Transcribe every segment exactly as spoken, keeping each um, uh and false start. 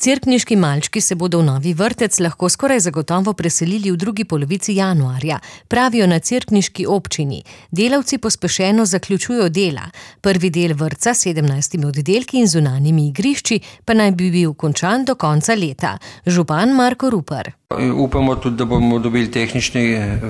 Cerkniški malčki se bodo v novi vrtec lahko skoraj zagotovo preselili v drugi polovici januarja, pravijo na cerkniški občini. Delavci pospešeno zaključujejo dela. Prvi del vrtca s sedemnajstimi oddelki in zunanjimi igrišči pa naj bi bil končan do konca leta. Župan Marko Rupar. Upamo tudi, da bomo dobili tehnični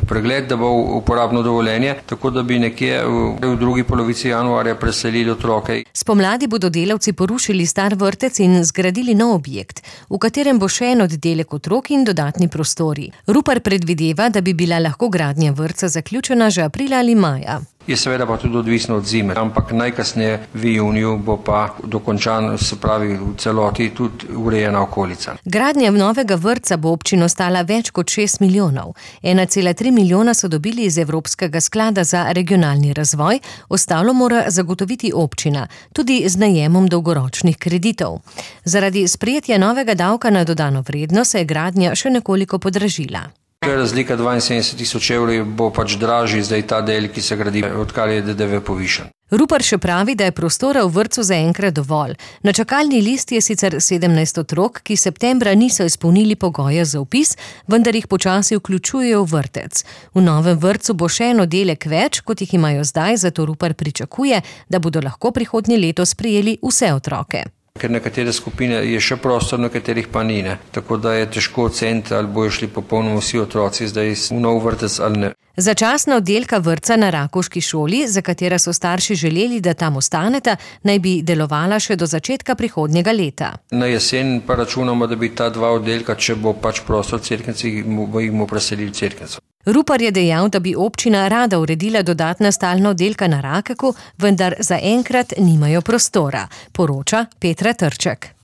pregled, da bo uporabno dovoljenje, tako da bi nekje v drugi polovici januarja preselili otroke. Spomladi bodo delavci porušili star vrtec in zgradili nov objekt, v katerem bo še en oddelek otrok in dodatni prostori. Rupar predvideva, da bi bila lahko gradnja vrtca zaključena že aprila ali maja. Je seveda pa tudi odvisno od zime, ampak najkasneje v juniju bo pa dokončan, se pravi v celoti tudi urejena okolica. Gradnja novega vrtca bo občino stala več kot šest milijonov. ena cela tri milijona so dobili iz Evropskega sklada za regionalni razvoj, ostalo mora zagotoviti občina, tudi z najemom dolgoročnih kreditov. Zaradi sprejetja novega davka na dodano vrednost se je gradnja še nekoliko podražila. Razlika dvainsedemdeset tisoč evrov bo pač dražji zdaj ta del, ki se gradi, odkar je D D V povišan. Rupar še pravi, da je prostora v vrtcu zaenkrat dovolj. Na čakalni listi je sicer sedemnajst otrok, ki septembra niso izpolnili pogoja za vpis, vendar jih počasi vključujejo v vrtec. V novem vrtcu bo še en oddelek več, kot jih imajo zdaj, zato Rupar pričakuje, da bodo lahko prihodnje leto sprejeli vse otroke. Ker nekatere skupine je še prostor, nekaterih pa ni, ne. Tako da je težko oceniti, ali bojo šli popolnoma vsi otroci zdaj v nov vrtec ali ne. Začasna oddelka vrtca na Rakovški šoli, za katera so starši želeli, da tam ostaneta, naj bi delovala še do začetka prihodnjega leta. Na jesen pa računamo, da bi ta dva oddelka, če bo pač prostor Cerknici, jih bomo preselili v Cerknico. Rupar je dejal, da bi občina rada uredila dodatna stalna oddelka na Rakeku, vendar zaenkrat nimajo prostora, poroča Petra Trček.